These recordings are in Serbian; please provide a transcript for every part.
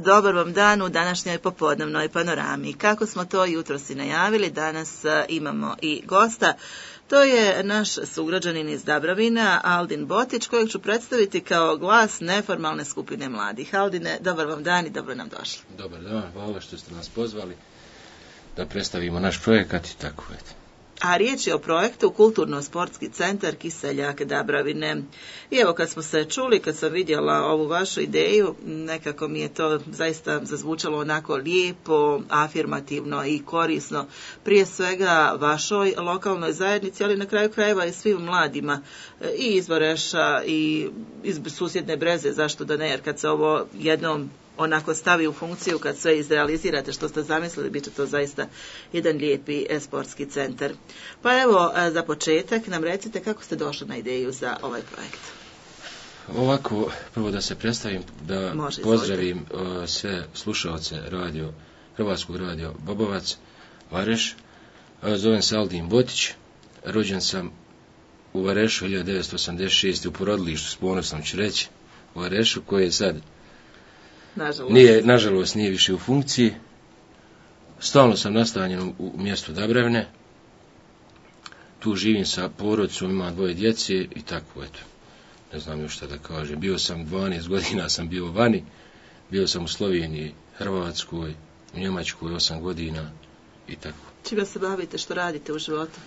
Dobar vam dan u današnjoj popodnevnoj panorami. Kako smo to jutros i najavili, danas imamo i gosta. To je naš sugrađanin iz Dabravina, Aldin Botić, kojeg ću predstaviti kao glas neformalne skupine mladih. Aldine, dobar vam dan i dobro nam došli. Dobar dan, hvala što ste nas pozvali da predstavimo naš projekat i tako. A riječ je o projektu Kulturno-sportski centar Kiseljak Dabravine. I evo kad smo se čuli, kad sam vidjela ovu vašu ideju, nekako mi je to zaista zazvučalo onako lijepo, afirmativno i korisno. Prije svega vašoj lokalnoj zajednici, ali na kraju krajeva i svim mladima i iz Vareša i iz susjedne Breze, zašto da ne, jer kad se ovo jednom onako stavi u funkciju, kad sve izrealizirate što ste zamislili, bit će to zaista jedan lijepi sportski centar. Pa evo, za početak nam recite kako ste došli na ideju za ovaj projekt. Ovako, prvo da se predstavim, da pozdravim sve slušalce Hrvatskog radio Bobovac, Vareš. Zovem se Aldin Botić, rođen sam u Varešu 1986. u porodilištu, s ponosom ću reći, u Varešu, koji je sad nažalost nije više u funkciji. Stalno sam nastanjen u mjestu Dabravine. Tu živim sa porodicom, imam 2 djece i tako, eto. Ne znam još šta da kažem. Bio sam 12 godina, sam bio vani. Bio sam u Sloveniji, Hrvatskoj, u Njemačkoj 8 godina i tako. Čime se bavite, što radite u životu?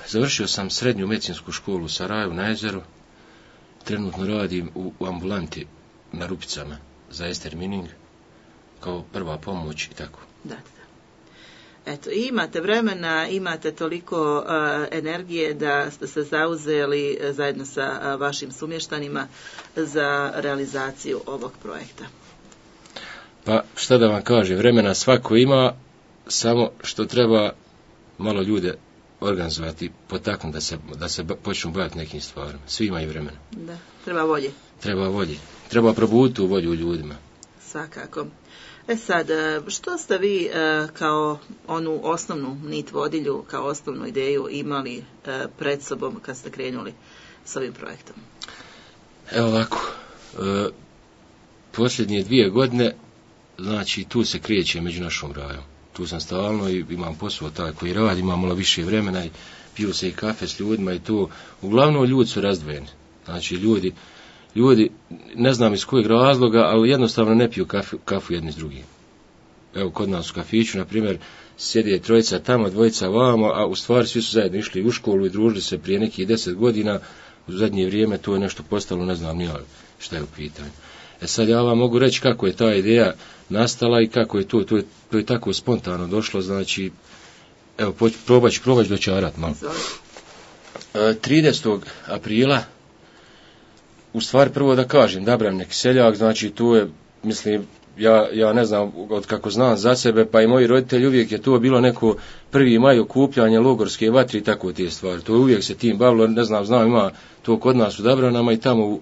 Završio sam srednju medicinsku školu u Sarajevu na Jezeru. Trenutno radim u ambulanti na Rupicama za estermining, kao prva pomoć i tako. Da. Eto, imate vremena, imate toliko energije da ste se zauzeli zajedno sa vašim sumještanima za realizaciju ovog projekta. Pa, šta da vam kažem, vremena svako ima, samo što treba malo ljude organizovati, potaknuti da se počnu baviti nekim stvarima. Svi imaju vremena. Da, treba volje. Treba volje. Treba probuditi u volju u ljudima. Svakako. Sad, što ste vi kao onu osnovnu nit vodilju, kao osnovnu ideju imali pred sobom kad ste krenuli s ovim projektom? Evo ovako, posljednje 2 godine, znači tu se krijeće među našom rajom. Tu sam stalno i imam posao taj koji radi, imam malo više vremena i piju se i kafe s ljudima i to. Uglavnom ljudi su razdvojeni. Znači ljudi, ne znam iz kojeg razloga, ali jednostavno ne piju kafu jedni s drugim. Evo, kod nas u kafiću, na primjer, sjede 3 tamo, 2 vamo, a u stvari svi su zajedno išli u školu i družili se prije nekih 10 godina. U zadnje vrijeme to je nešto postalo, ne znam nija šta je u pitanju. Sad ja vam mogu reći kako je ta ideja nastala i kako je to je tako spontano došlo, znači, evo, probat ću dočarat malo. 30. aprila, u stvari prvo da kažem, Dabravine Kiseljak, znači tu je, mislim, ja ne znam, od kako znam za sebe, pa i moji roditelji, uvijek je to bilo neko 1. maj okupljanje, logorske vatre i tako te stvari. To uvijek se tim bavilo, ne znam, ima to kod nas u Dabravinama i tamo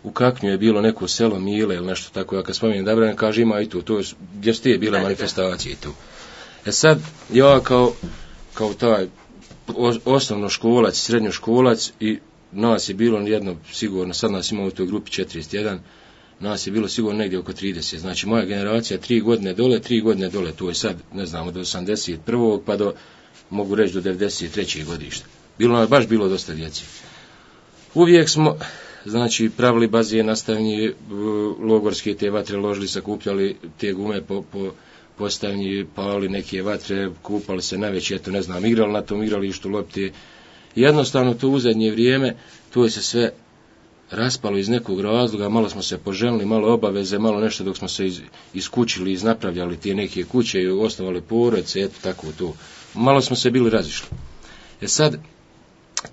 u Kaknju je bilo neko selo Mile ili nešto tako. Ja kad spomenem Dabravine, kaže ima i to je gdje su te bile manifestacije tu. Sad, ja kao taj osnovnoškolac, srednjoškolac i nas je bilo jedno, sigurno, sad nas ima u toj grupi 41, nas je bilo sigurno negdje oko 30. Znači moja generacija 3 godine dole, to je sad, ne znam, od 81. pa do, mogu reći, do 93. godišta. Baš bilo dosta djeci. Uvijek smo, znači, pravili bazen, nastavnji, logorske te vatre ložili, sakupljali te gume po postavnji, pali neke vatre, kupali se najveće, eto ne znam, igrali na tom igralištu lopte. Jednostavno to u zadnje vrijeme, to je se sve raspalo iz nekog razloga, malo smo se poželili, malo obaveze, malo nešto dok smo se iskućili, iznapravljali te neke kuće i osnovali porodice, eto tako to. Malo smo se bili razišli. Sad,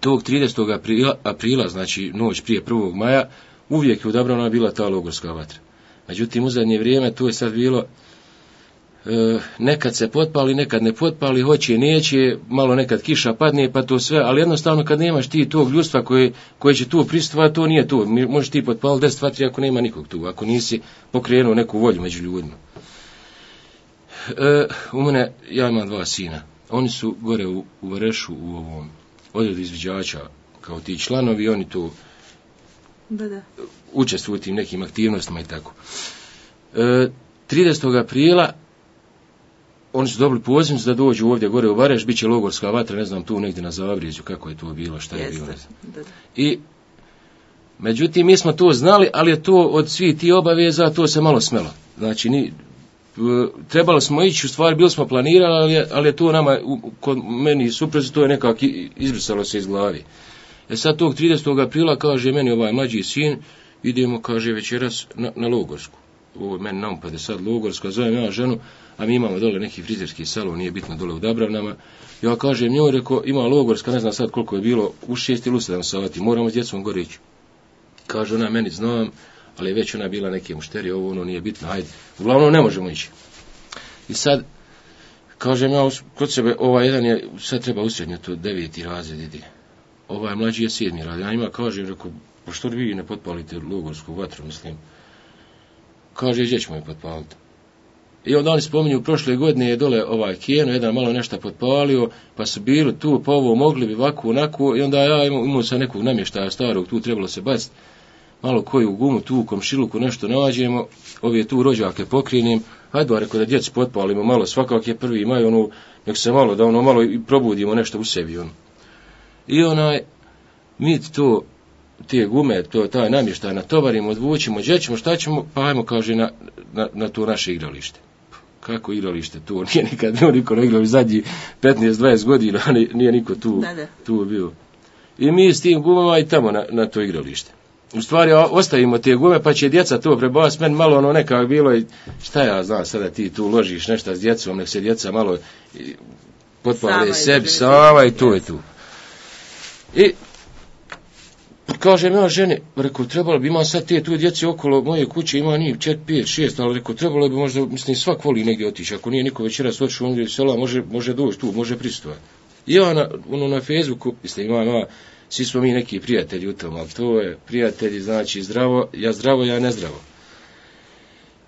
tog 30. aprila, znači noć prije 1. maja, uvijek je u Dabravinama bila ta logorska vatra. Međutim, u zadnje vrijeme to je sad bilo, nekad se potpali, nekad ne potpali, hoće, neće, malo nekad kiša padne, pa to sve, ali jednostavno kad nemaš ti tog ljudstva koje će tu pristovati, to nije to. Možeš ti potpaliti 10 vatri ako nema nikog tu, ako nisi pokrenuo neku volju među ljudima. U mene, ja imam 2 sina. Oni su gore u Varešu, u ovom odredu izviđača, kao ti članovi, oni tu učestvuju u tim nekim aktivnostima i tako. 30. aprila oni su dobili pozivnicu da dođu ovdje gore u Vareš, bit će logorska vatra, ne znam tu negdje na Zavrijeđu kako je to bilo, šta je bilo. I međutim, mi smo to znali, ali je to od svih ti obaveza, to se malo smelo. Znači, trebalo smo ići, u stvari bili smo planirali, ali je to nama, kod meni suprezi, to je nekako izbrisalo se iz glavi. Sad tog 30. aprila kaže meni ovaj mlađi sin, idemo, kaže, večeras na Logorsku. Ovo meni naupade sad Logorska, zovem ja ženu, a mi imamo dole neki frizerski salon, nije bitno dole u Dabravnama. Ja kažem njoj, reko, ima Logorska, ne znam sad koliko je bilo, u 6 ili 7 sati, moramo s djecom gore ići. Kaže ona, meni znam, ali već ona bila neke mušterije, ovo ono nije bitno, hajde. Uglavnom ne možemo ići. I sad, kažem ja kod sebe, ovaj jedan je, sad treba usrednjati, 9. razred ide. Ovaj mlađi je 7. razred. Ja njima kažem, reko, pa što vi ne potpalite Logorsku vatru, mislim. Kaže, gdje ćemo je potpaliti. I onda oni spominju, prošle godine je dole ovaj Kijeno, jedan malo nešto potpalio, pa su bili tu, pa ovo mogli bi ovako, onako, i onda ja imao sa nekog namještaja starog, tu trebalo se baciti, malo koju gumu, tu u komšiluku nešto nađemo, ove tu rođake pokrijenim, hajde ba, reko da djeci potpalimo malo, svakak je 1. maj, ono, nek se malo, da ono malo i probudimo nešto u sebi, ono. I mi to, te gume, taj namještaj natovarimo, odvučimo, gdje ćemo, šta ćemo, pa ajmo, kaže, na to naše igralište. Kako igralište, to nije nikad bio niko na igralište, zadnji 15-20 godina, nije niko tu bio. I mi s tim gumama i tamo na to igralište. U stvari, ostavimo te gume, pa će djeca to prebaviti, meni malo ono nekako bilo i šta ja znam, sada ti tu ložiš nešto s djecom, nek se djeca malo potpale sebi, sama i to je tu. I kažem ja ženi, reko, trebalo bi, ima sad te tu djeci okolo moje kuće, ima njih 4, 5, 6, ali reko, trebalo bi možda, mislim, svak voli negdje otići, ako nije niko večeras otišao ondje iz sela, može doći tu, može pristovati. I ja na Facebooku, mislim, ima, svi smo mi neki prijatelji u tom, ali to je prijatelji, znači zdravo, ja ne zdravo.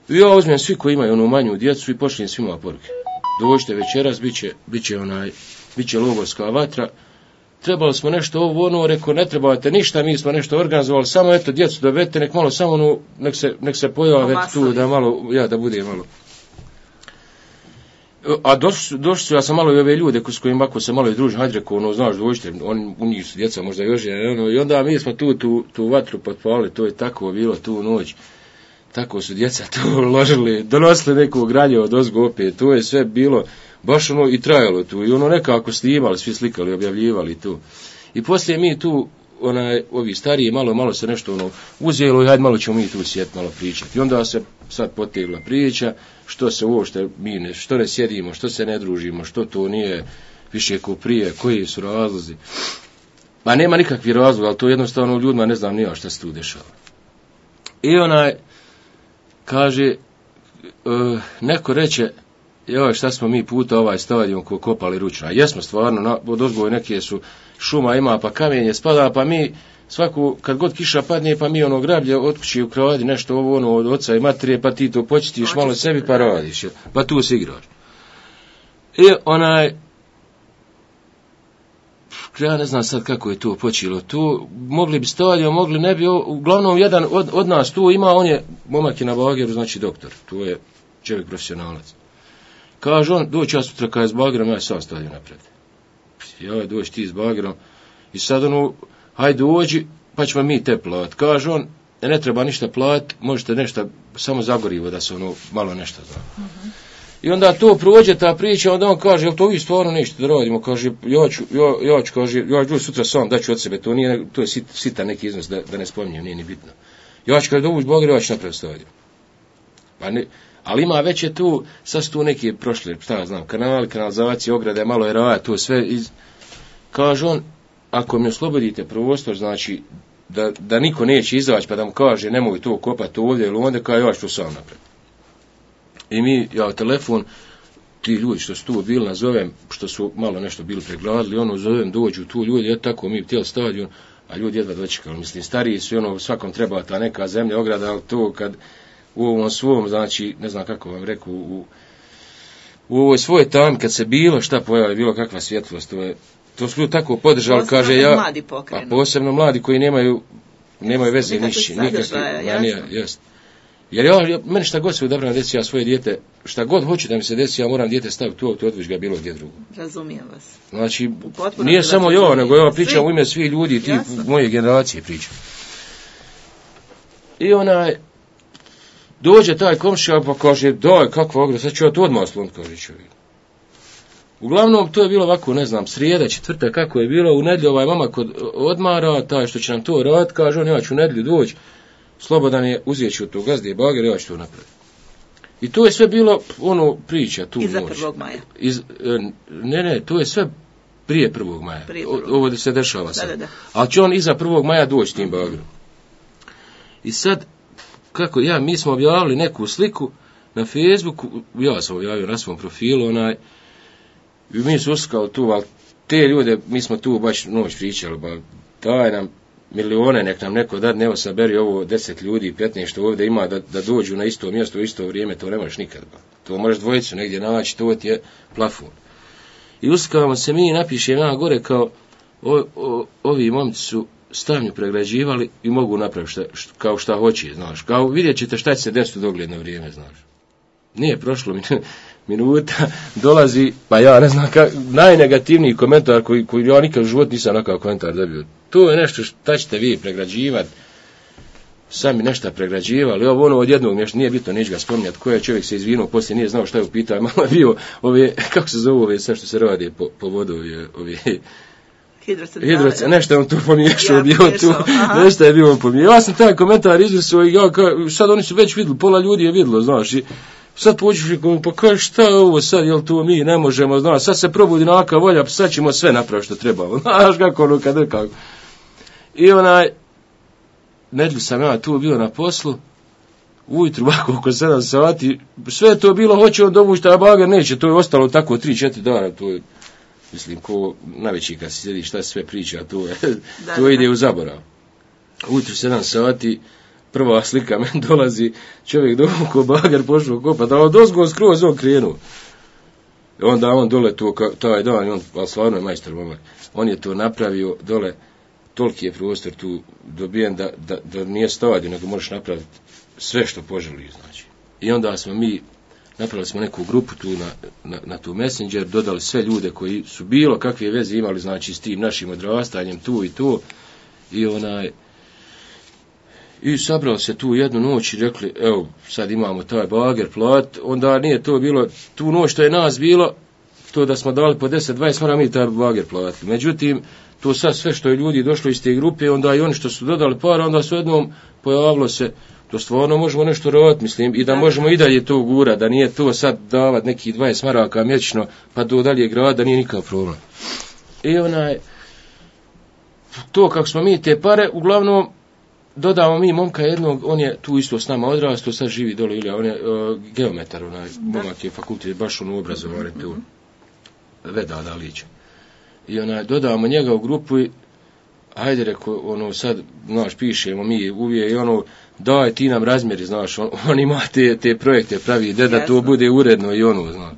I ja uzmem svi koji imaju onu manju djecu i pošlijem svima poruke. Dođite večeras, bit će Logorska vatra. Trebali smo nešto ovo, ono, reko, ne trebate ništa, mi smo nešto organizovali, samo eto, djecu dovedete, nek malo samo ono, nek se pojave tu, da malo, da bude malo. A došli su, ja sam malo i ove ljude s kojima ako se malo i družim, hajde reko, ono, znaš, dođite, u njih su djeca možda još, ono, i onda mi smo tu vatru potpalili, to je tako bilo tu noć, tako su djeca tu ložili, donosili neko granje od ozgo opet, to je sve bilo, baš ono i trajalo tu, i ono nekako snimali, svi slikali, objavljivali tu. I poslije mi tu, ovi stariji, malo se nešto ono uzelo i hajde malo ćemo mi tu sjeti, malo pričati. I onda se sad potegla priča, što se uopšte mi što ne sjedimo, što se ne družimo, što to nije više ko prije, koji su razlozi. Pa nema nikakvih razloga, ali to jednostavno ljudima ne znam nija šta se tu dešava. I kaže, neko reče, joj, šta smo mi puta ovaj stadion kopali ručno. A jesmo stvarno, od ozgoje neke su šuma ima, pa kamenje spada, pa mi svaku, kad god kiša padne, pa mi ono grablje od kuće ukradi nešto ovo ono od oca i materije, pa ti to počitiš malo sebi, pa radiš, pa tu se igraš. I ja ne znam sad kako je to počelo. Tu mogli bi stadion, mogli ne bi, uglavnom jedan od nas tu ima, on je momak je na bageru, znači doktor, tu je čovjek profesionalac. Kaže on, doći ja sutra kada je s bagerom, ja sam stadion napraviti. Ja doći ti s bagerom i sad hajde dođi, pa ćemo mi te plati. Kaže on, ne treba ništa plati, možete nešto, samo zagorivo da se malo nešto zna. Uh-huh. I onda to prođe ta priča, onda on kaže, jel to vi stvarno ništa da radimo? Kaže, ja ću doći sutra sam, daću od sebe, to je sitan neki iznos, da ne spominjem, nije ni bitno. Ja ću kada dovući bager, ja ću napraviti stadion. Pa ne, ali ima već je tu, sad su tu neki prošli, šta ja znam, kanalizacije, ograde, malo je raja, to sve kaže on, ako mi oslobodite prostor, znači, da niko neće izaći, pa da mu kaže, nemoj to kopati ovdje, ili onda kaže, ja ću to sam napraviti. I ja telefon, ti ljudi što su tu bili, nazovem, što su malo nešto bili pregladili, zovem, dođu tu ljudi, tako mi htjeli stadion, a ljudi jedva dočekali, mislim, stariji su, svakom treba ta neka zemlja, ograda, ali to kad u ovom svom, znači, ne znam kako vam reku, u ovoj svojoj tami, kad se bilo šta pojavi, bilo kakva svjetlost, to su ljudi tako podržali, kaže ja, a posebno mladi koji nemaju veze ništa, nikakve, jest. Jer meni šta god se odabrano desi, ja svoje dijete, šta god hoću da mi se desi, ja moram dijete staviti u auto, odviš ga bilo gdje drugo. Razumijem vas. Znači, nije samo ja, nego ja pričam u ime svih ljudi, ti moje generacije pričam. I dođe taj komšija pa kaže, daj, kakva ogra, sad ću ja to odmah slon, kaže čovjek. Uglavnom, to je bilo ovako, ne znam, srijeda, četvrta, kako je bilo, u nedjelju ovaj mama kod odmara, taj što će nam to raditi, kaže on, ja ću u nedjelju doći, slobodan je, uzet ću to gazde bager, ja ću to napraviti. I to je sve bilo, priča tu Iza noć. 1. maja. Ne, to je sve prije 1. maja. Ovo se dešava sad. Da. Ali će on iza 1. maja doći tim bagerom. I sad, mi smo objavili neku sliku na Facebooku, ja sam objavio na svom profilu, i mi su uskali tu, ali te ljude, mi smo tu baš noć pričali, ba, daj nam milione, nek nam neko da, evo saberi ovo 10 ljudi, 15 što ovdje ima, da dođu na isto mjesto u isto vrijeme, to ne možeš nikad, ba. To možeš dvojicu negdje naći, to ti je plafon. I uskavamo se mi, napiše na gore kao, ovi momci su stavnju pregrađivali i mogu napraviti kao šta hoće, znaš. Kao vidjet ćete šta će se desiti u dogledno vrijeme, znaš. Nije prošlo minuta, dolazi, pa ja ne znam, najnegativniji komentar koji ja nikad u životu nisam onakav komentar dobio. To je nešto šta ćete vi pregrađivati, sami nešto pregrađivali, od jednog nešto, nije bitno, neću ga spominjati, koji je čovjek se izvinuo, poslije nije znao šta je upitao, malo je bio, kako se zove ove, sve što se radi po vodu, ove hidrocentrale, nešto je on tu pomiješao, nešto je bio on pomiješao. Ja sam taj komentar izvisao i sad oni su već vidjeli, pola ljudi je vidjelo, znaš, i sad pođeš i pa kaže šta je ovo sad, jel to mi ne možemo, znaš, sad se probudi naka volja, pa sad ćemo sve napraviti što trebamo, znaš kako kako. I nedjelju sam ja tu bio na poslu, ujutru ovako oko 7 sati, sve je to bilo, hoće on dovući, a bager neće, to je ostalo tako 3-4 dana, to je, mislim, ko najveći kad se sjedi šta sve priča, to ide u zaborav. Ujutru 7 sati, prva slika meni dolazi, čovjek dovukao bager, pošao kopati, a dozgo skroz on krenuo. Onda on dole to, taj dan, ali stvarno je majstor momak, on je to napravio dole, toliki je prostor tu dobijen da nije stadion, nego možeš napraviti sve što poželiš, znači. I onda napravili smo neku grupu tu na tu Messenger, dodali sve ljude koji su bilo kakve veze imali, znači, s tim našim odrastanjem, tu i to, i sabrali se tu jednu noć i rekli, evo, sad imamo taj bager plat, onda nije to bilo, tu noć što je nas bilo, to da smo dali po 10-20, mora mi taj bager platiti. Međutim, to sad sve što je ljudi došlo iz te grupe, onda i oni što su dodali para, onda su jednom pojavilo se, to stvarno možemo nešto raditi, mislim, i da možemo i dalje to gura, da nije to sad davat nekih 20 maraka mjesečno, pa do dalje grada, da nije nikakav problem. I to kako smo mi te pare, uglavnom, dodamo mi momka jednog, on je tu isto s nama odrastao, sad živi dole, ili on je geometar, momak je fakultet, baš obrazovan tu, Veda Dalić. I dodamo njega u grupu i ajde, reko, sad, znaš, pišemo mi uvijek i daj ti nam razmjeri, znaš, on ima te projekte pravi, da to bude uredno i znaš.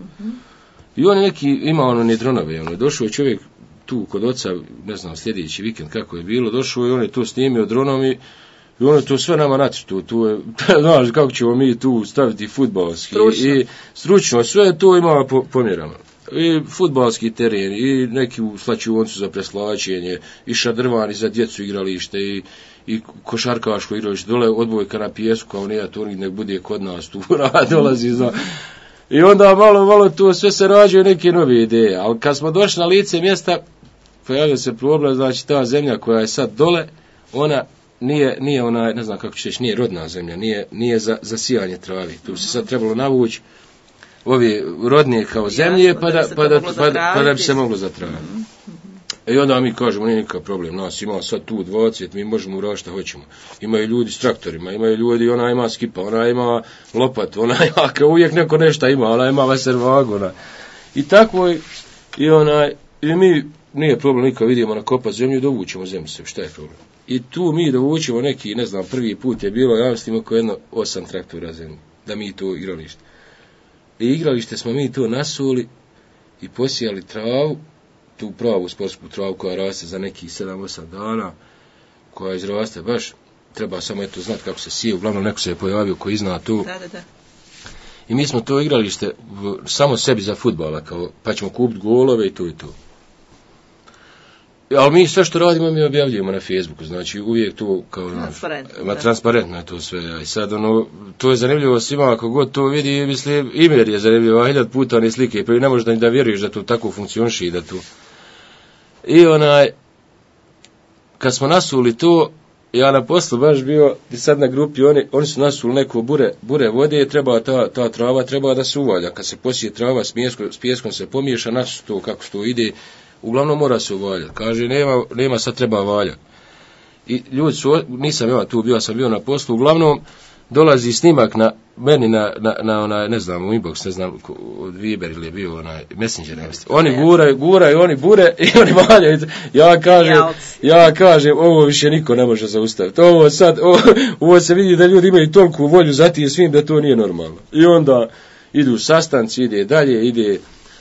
I on neki, ima ni dronove, došao je čovjek tu kod oca, ne znam, sljedeći vikend kako je bilo, došao i on je to snimio dronom i on je to sve nama nacrtao, tu je, znaš, kako ćemo mi tu staviti fudbalski i stručno, sve to ima po mjerama. I fudbalski teren, i neki u slačionicu za preslačenje, i šadrvani za djecu igralište, i košarkaško igralište, dole odbojka na pijesku, kao nije to nek bude kod nas tu, dolazi za... I onda malo tu sve se rađaju neke nove ideje, ali kad smo došli na lice mjesta, pojavio se problem, znači ta zemlja koja je sad dole, ona nije ona, ne znam kako ću reći, nije rodna zemlja, nije za sijanje travi, tu se sad trebalo navući ovi rodnije kao zemlje, pa da bi se moglo zatraviti. I onda mi kažemo, nije nikakav problem, nas ima sad tu 20, mi možemo uraditi šta hoćemo. Imaju ljudi s traktorima, imaju ljudi, ona ima skipa, ona ima lopat, ona ima, kao uvijek neko nešto ima, ona ima vaservagu, I tako, i mi, nije problem, nikad vidimo nakopat zemlju, dovućemo zemlju se, šta je problem? I tu mi dovućemo neki, ne znam, prvi put je bilo, ja mislim, oko 8 traktora zemlje, da mi to igralište. I igralište smo mi to nasuli i posijali travu, tu pravu sportsku travu koja raste za nekih 7-8 dana, koja izraste baš treba samo eto znati kako se sije, uglavnom neko se je pojavio koji zna to. Da. I mi smo to igralište samo sebi za fudbala, kao, pa ćemo kupiti golove i to i to. Ali mi sve što radimo mi objavljujemo na Facebooku, znači uvijek to kao transparentno je to sve. I sad to je zanimljivo svima, ako god to vidi, mislim, Imer je zanimljivo, 1000 puta one slike, pa ne možeš da vjeruješ da to tako funkcioniše i da to. I kad smo nasuli to, ja na poslu baš bio, i sad na grupi, oni su nasuli neko bure vode, treba ta trava treba da se uvalja. Kad se posije trava s pijeskom se pomiješa, nasu to kako to ide, uglavnom mora se uvaljati. Kaže, nema sad treba valjati. I ljudi su, nisam ja tu bio, sam bio na poslu, uglavnom dolazi snimak na meni na ne znam, u inbox, ne znam, od Viber ili je bio Messenger, oni guraju, oni bure i oni valjaju. Ja kažem, ovo više niko ne može zaustaviti. Ovo se vidi da ljudi imaju toliku volju za tim svim da to nije normalno. I onda idu sastanci, ide dalje,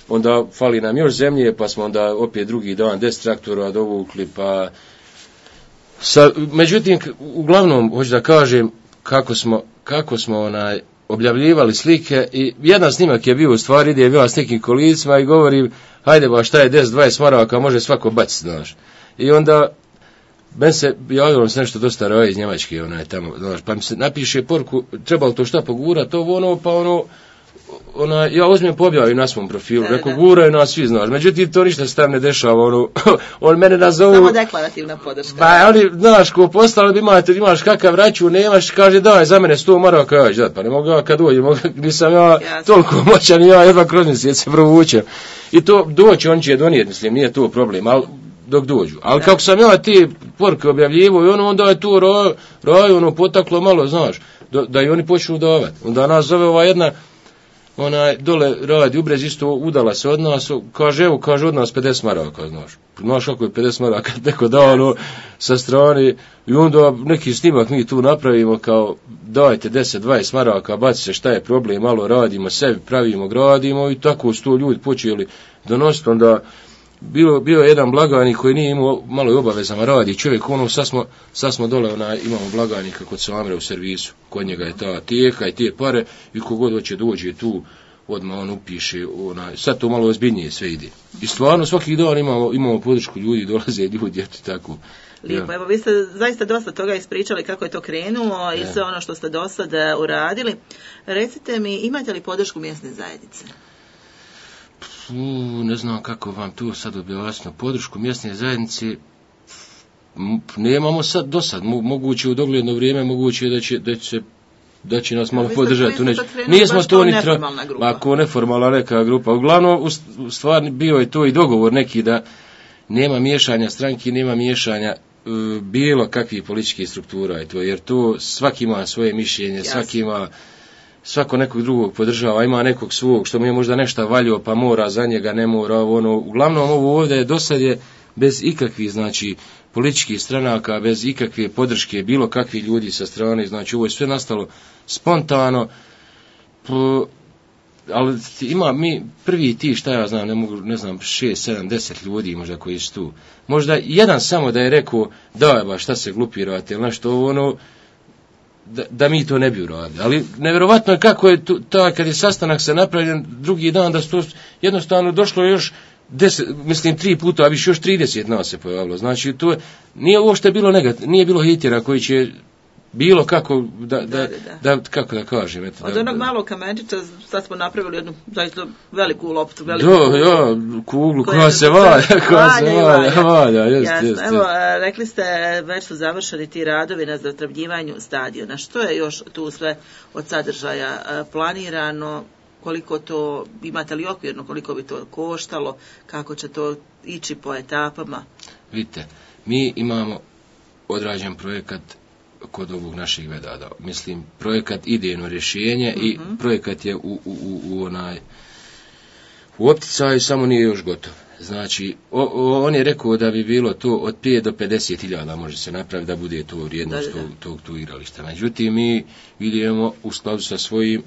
onda fali nam još zemlje, pa smo onda opet drugi dan 10 traktora dovukli, pa međutim, uglavnom, hoću da kažem, kako smo objavljivali slike i jedan snimak je bio u stvari, ide bila s nekim kolicima i govorim, hajde ba šta je 10-20 maraka, može svako baciti, znaš. I onda ben se javilo se nešto dosta roje iz Njemačke, tamo, znaš, pa mi se napiše poruku, trebalo to šta pogurati, ja uzmem pobjavim na svom profilu, rekao, guraju nas svi, znaš, međutim, to ništa se tam ne dešava, on mene nazovu... Samo deklarativna podrška. Ba, oni, znaš, ko postali imaš kakav račun, nemaš, kaže, daj, za mene 100 maraka, ja ću dat, pa ne mogu ja kad dođem, nisam ja toliko moćan, ja jedva kroz mjesec se provučem. I to doći, on će donijeti, mislim, nije to problem, ali dok dođu. Ali kako sam ja ti poruke objavljivo i onda je tu raju, potaklo malo, znaš, da i oni počnu davati. Onda nas zove ova jedna, dole radi u Brez, isto udala se od nas, kaže od nas 50 maraka, znaš kako je 50 maraka, neko dao sa strane, i onda neki snimak mi tu napravimo, kao dajte 10-20 maraka, baci se, šta je problem, malo radimo, sebi pravimo, gradimo, i tako su to ljudi počeli donositi. Onda bio jedan blagajnik koji nije imao malo i obavezama radi čovjek, sad smo dole, imamo blagajnika kod Samre u servisu, kod njega je ta tijeka i te pare, i kogod hoće dođe tu, odmah on upiše, sad to malo ozbiljnije sve ide. I stvarno svaki dan imamo podršku ljudi, dolaze ljudi, eto tako. Lijepo, evo vi ste zaista dosta toga ispričali kako je to krenulo i sve ono što ste do sada uradili. Recite mi, imate li podršku mjesne zajednice? Ne znam kako vam tu sad objasniti. Podršku mjesne zajednice nemamo sad do sad. Moguće u dogledno vrijeme, moguće da će nas malo podržati. Nismo to ni ako neformalna neka grupa. Uglavnom, u stvari bio je to i dogovor neki da nema miješanja stranki, nema miješanja bilo kakvih političkih struktura. Jer to svaki ima svoje mišljenje, svako nekog drugog podržava, ima nekog svog, što mu je možda nešto valjio, pa mora za njega, ne mora, uglavnom ovo ovdje dosad je bez ikakvih, znači, političkih stranaka, bez ikakve podrške, bilo kakvih ljudi sa strane, znači, ovo je sve nastalo spontano, ali ima mi prvi ti, šta ja znam, ne znam, 6, 7, 10 ljudi možda koji su tu. Možda jedan samo da je rekao, da, ba, šta se glupirate, ili nešto, da mi to ne bi uradili. Ali nevjerovatno je kako je kad je sastanak se napravljen drugi dan, da to jednostavno došlo još 3 puta, a više još 30 nas se pojavilo. Znači, to nije uopšte bilo negativno, nije bilo hitera koji će bilo kako, kako da kažem. Eto, od onog malog kamenčića sad smo napravili jednu zaista veliku loptu. Kuglu koja se valja. Jest. Evo, rekli ste, već su završeni ti radovi na zatravnjivanju stadiona. Što je još tu sve od sadržaja planirano? Koliko to, imate li okvirno, koliko bi to koštalo? Kako će to ići po etapama? Vidite, mi imamo odrađen projekat kod ovog naših vedada. Mislim, projekat idejno rješenje i projekat je u opticaju, samo nije još gotov. Znači, on je rekao da bi bilo to od 5 do 50.000 može se napraviti da bude to vrijednost tog igrališta. Međutim, mi vidimo u skladu sa svojim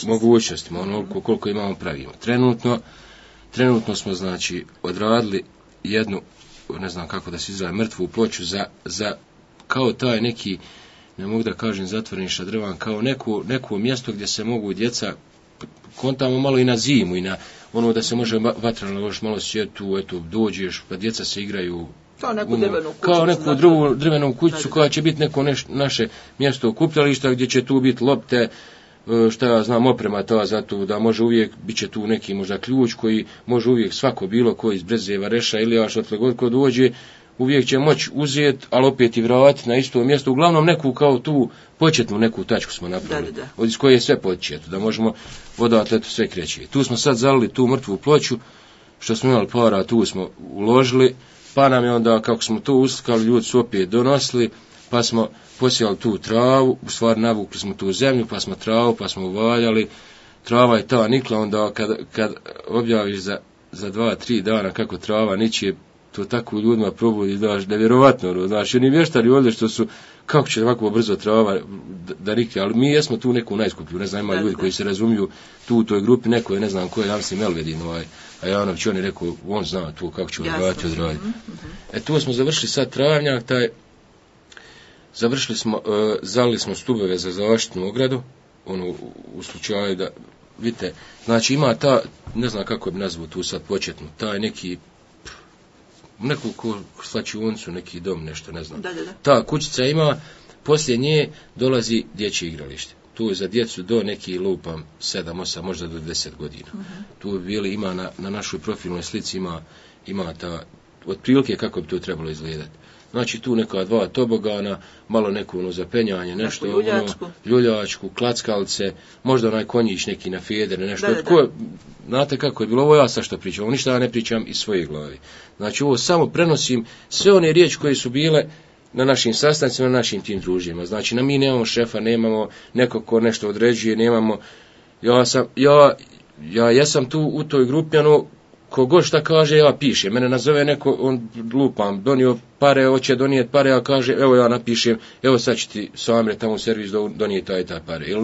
mogućnostima, onoliko koliko imamo pravimo. Trenutno smo, znači, odradili jednu, ne znam kako da se izrazi, mrtvu ploču za kao taj neki, ne mogu da kažem zatvoreni šadrvan, kao neko mjesto gdje se mogu djeca, kontamo malo i na zimu i na ono da se može vatrano ložiti, malo sjeti tu, eto, dođeš, pa djeca se igraju kao neku drugu drvenu kućicu koja će biti neko naše mjesto okupljališta gdje će tu biti lopte, šta ja znam, oprema ta za to, da može uvijek, bit će tu neki možda ključ koji može uvijek svako bilo koji iz Brezeva, Reša ili još odle god ko dođe, uvijek će moći uzeti, ali opet i vratiti na isto mjesto. Uglavnom neku kao tu početnu neku tačku smo napravili, iz koje je sve početo, da možemo odatle to sve kreći. Tu smo sad zalili tu mrtvu ploču, što smo imali para, tu smo uložili, pa nam je onda, kako smo to uslikali, ljudi su opet donosili, pa smo posijali tu travu, u stvari navukli smo tu zemlju, pa smo travu, pa smo uvaljali, trava je ta nikla, onda kad objaviš za 2-3 dana kako trava niče, to tako ljudima probudi, daš, nevjerovatno, znaš, oni vještari ovdje što su, kako će ovako brzo trava da nikne, ali mi jesmo tu neku najskuplju, ne znam, ima ljudi koji se razumiju tu u toj grupi, neko je, ne znam ko je, ja mislim Melvedin, a Janović, on je rekao, on zna tu kako će odraditi. Tu smo završili sad travnjak, završili smo, zalili smo stubove za zaštitnu ogradu, ono, u slučaju da, vidite, znači ima ta, ne znam kako bi nazvao tu sad početnu, taj neki, neku slačionicu, neki dom, nešto, ne znam. Da. Ta kućica ima, poslije nje dolazi dječje igralište. Tu je za djecu do neki lupam 7, 8, možda do 10 godina. Tu bi bili, ima na našoj profilnoj slici, ima ta, otprilike kako bi to trebalo izgledati. Znači tu neka 2 tobogana, malo neko za penjanje, nešto, ljuljačku, klackalice, možda onaj konjić neki na fjedere, nešto. Znate kako je bilo, ovo ja sad što pričam, ovo ništa ja ne pričam iz svoje glavi. Znači ovo samo prenosim sve one riječi koje su bile na našim sastancima, na našim tim družima. Znači mi nemamo šefa, nemamo nekog ko nešto određuje, nemamo, ja jesam tu u toj grupi, kogod šta kaže, ja pišem. Mene nazove neko, on lupam, donio pare, hoće donijeti pare, a kaže, evo ja napišem, evo sad će ti Samre tamo u servis donijeti taj pare.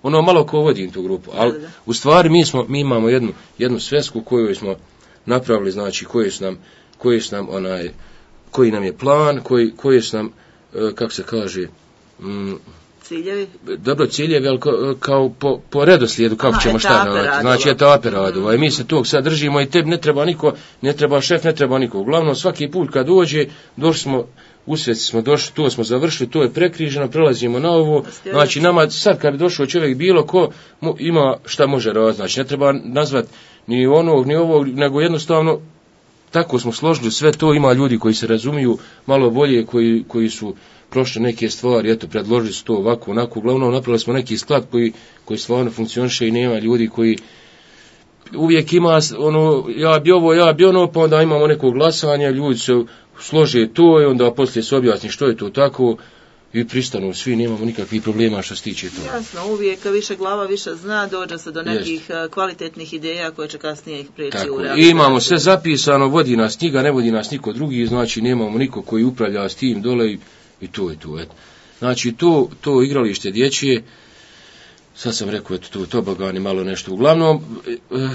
Ono malo ko vodim tu grupu, ali u stvari mi imamo jednu svesku koju smo napravili, znači koji nam je plan, koji su nam, kako se kaže, ciljevi? Dobro, ciljevi, ali kao po redoslijedu, kako ćemo šta raditi. Znači, etape radova. I mi se tog sad držimo i tebi ne treba niko, ne treba šef, ne treba niko. Uglavnom, svaki put kad dođe, došli smo, u sveci smo došli, to smo završili, to je prekriženo, prelazimo na ovo. Znači, nama sad kad bi došao čovjek bilo ko, ima šta može raditi. Znači, ne treba nazvati ni onog, ni ovog, nego jednostavno, tako smo složili sve to, ima ljudi koji se razumiju malo bolje, koji su prošle neke stvari, eto, predložili su to ovako, onako, uglavnom napravili smo neki sklad koji stvarno funkcioniše i nema ljudi koji uvijek ima, ja bi ono, pa onda imamo neko glasanje, ljudi se slože to i onda poslije se objasni što je to tako i pristanu svi, nemamo nikakvih problema što se tiče toga. Jasno, uvijek više glava više zna, dođe se do nekih kvalitetnih ideja koje će kasnije ih prijeći u realizaciju. I imamo sve zapisano, vodi nas knjiga, ne vodi nas niko drugi, znači nemamo niko koji upravlja s tim dole i to je to. Eto. Znači to igralište dječje, sad sam rekao, eto, to tobogani, malo nešto. Uglavnom,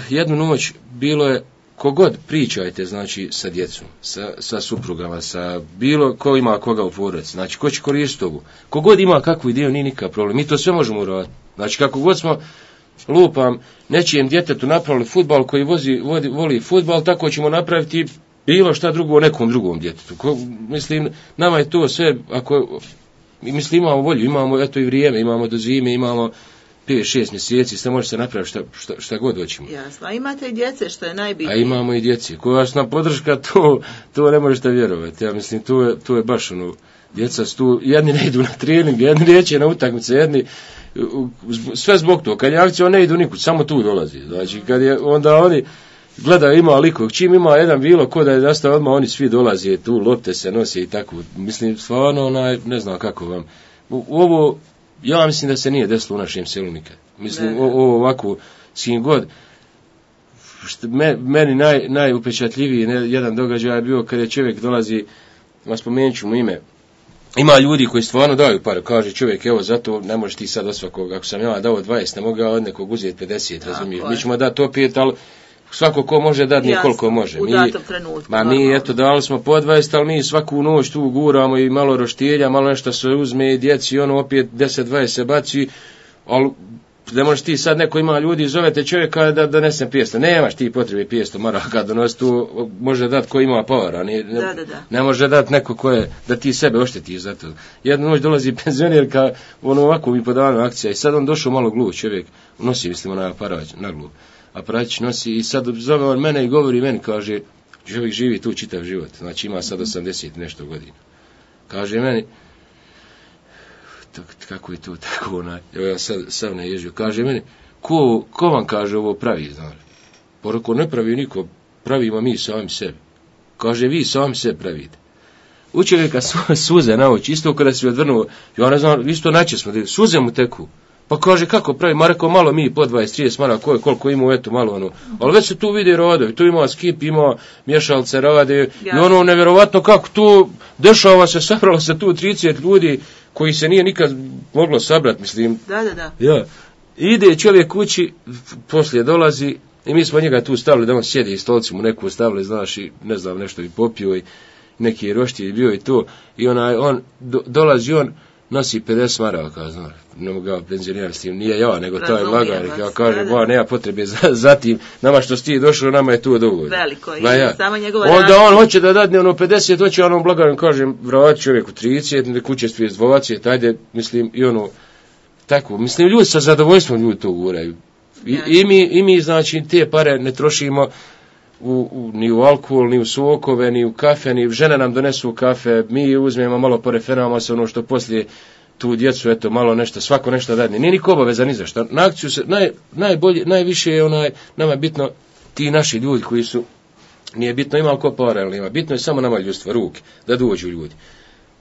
jednu noć bilo je, kogod pričajte, znači, sa djecom, sa suprugama, sa bilo ko ima koga u porodici, znači, ko će koristiti ovu. Kogod ima kakvu ideju, nije nikakav problem. Mi to sve možemo uraditi. Znači, kako god smo, lupam, nečijem djetetu napravili fudbal koji voli fudbal, tako ćemo napraviti bilo šta drugo nekom drugom djetetu. Mislim, nama je to sve, mislim, imamo volju, imamo, eto, i vrijeme, imamo do zime, imamo 5-6 mjeseci, sve može se napraviti šta god hoćemo. Jasno, a imate i djece, što je najbitnije. A imamo i djece, koja su nam podrška, to ne možete vjerovati. Ja mislim, to je baš djeca su tu, jedni ne idu na trening, jedni neće na utakmice, jedni, sve zbog toga, kad je akcija, ne idu nikud, samo tu dolazi. Znači, kad je, onda oni gledaju, ima likog, čim ima jedan bilo ko da je nastao, odmah oni svi dolaze, tu lopte se nose i tako. Mislim, stvarno, ne znam kako vam. Ovo, ja mislim da se nije desilo u našem selu nikad. Mislim, ovo ovako, s kim god, meni najupečatljiviji jedan događaj je bio kada je čovjek dolazi, spomenut ću mu ime, ima ljudi koji stvarno daju pare, kaže čovjek, evo, zato ne možeš ti sad od svakog, ako sam ja dao 20, ne mogu ja od nekog uzeti 50, razumiješ, mi ćemo dati opet, ali svako ko može dati nije koliko može. U datom trenutku. Mi eto dali smo po 20, ali mi svaku noć tu guramo i malo roštilja, malo nešto se uzme i djeci i ono opet 10-20 se baci, ali ne možeš ti sad, neko ima ljudi, zovete čovjeka da donese pijesto. Nemaš ti potrebe pijesto, mora kad donosi tu, može dati ko ima povara. Ne može dati neko ko je, da ti sebe oštetiš za to. Jednu noć dolazi penzionerka, ono ovako mi podavano akcija i sad on došao malo glup čovjek, nosi mislim onaj aparać na glup. Aparać nosi i sad zove on mene i govori meni, kaže, čovjek živi tu čitav život, znači ima sad 80 nešto godina. Kaže meni, kako je to tako evo ja sad ne ježio, kaže meni, ko vam kaže ovo pravi, znači? Porako ne pravi niko, pravimo mi sami sebi. Kaže, vi sami sebi pravite. U čovjeka suze na oči, isto kada si odvrnuo, ja ne znam, isto naće smo, suze mu teku. Pa kaže, kako pravi, ma rekao, malo mi po 20-30 maraka, koliko ima, eto malo ono. Ali već se tu vidi radovi, tu ima skip, ima mješalce rade, i ono nevjerovatno kako tu dešava se, sabralo se tu 30 ljudi koji se nije nikad moglo sabrati, mislim. Da. Ja. Ide čovjek kući, poslije dolazi i mi smo njega tu stavili da on sjedi i stolci mu neku stavili, znaš, i ne znam, nešto i popio i neki roštilj bio i to. I on dolazi, on nosi 50 maraka, znaš, ne mogu ga penzionirati s tim, nije ja, nego taj lagarik. Ja kažem, nema potrebe za tim, nama što si ti došao, nama je tu dovoljno. Veliko je, samo njegova razlika. Onda on hoće da dadne ono 50, hoće onom blagarom, kažem, vrati čovjeku 30, kuće stvije 20, ajde, mislim, i ono, tako, mislim, ljudi sa zadovoljstvom ljudi to guraju. I mi, znači, te pare ne trošimo ni u alkohol, ni u sokove, ni u kafe, ni žene nam donesu kafe, mi uzmemo malo, poreferamo se ono što poslije tu djecu, eto, malo nešto, svako nešto dadne. Nije niko obaveza ni za što. Na akciju se, najviše je nama je bitno ti naši ljudi koji su, nije bitno ima ko para ili nema, bitno je samo nama ljudstva, ruke, da dođu ljudi.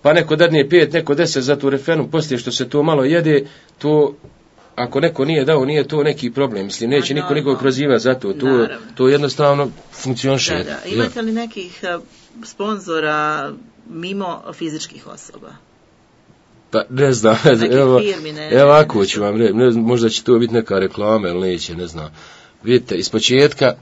Pa neko dadne 5, neko 10 za tu refenu, poslije što se to malo jede, to, ako neko nije dao, nije to neki problem. Mislim, neće niko nikog prozivati za to. To jednostavno funkcioniše. Da. Imate li nekih sponzora mimo fizičkih osoba? Pa ne znam. Evo ako ću vam reći. Možda će to biti neka reklama ili neće, ne znam. Vidite, ispočetka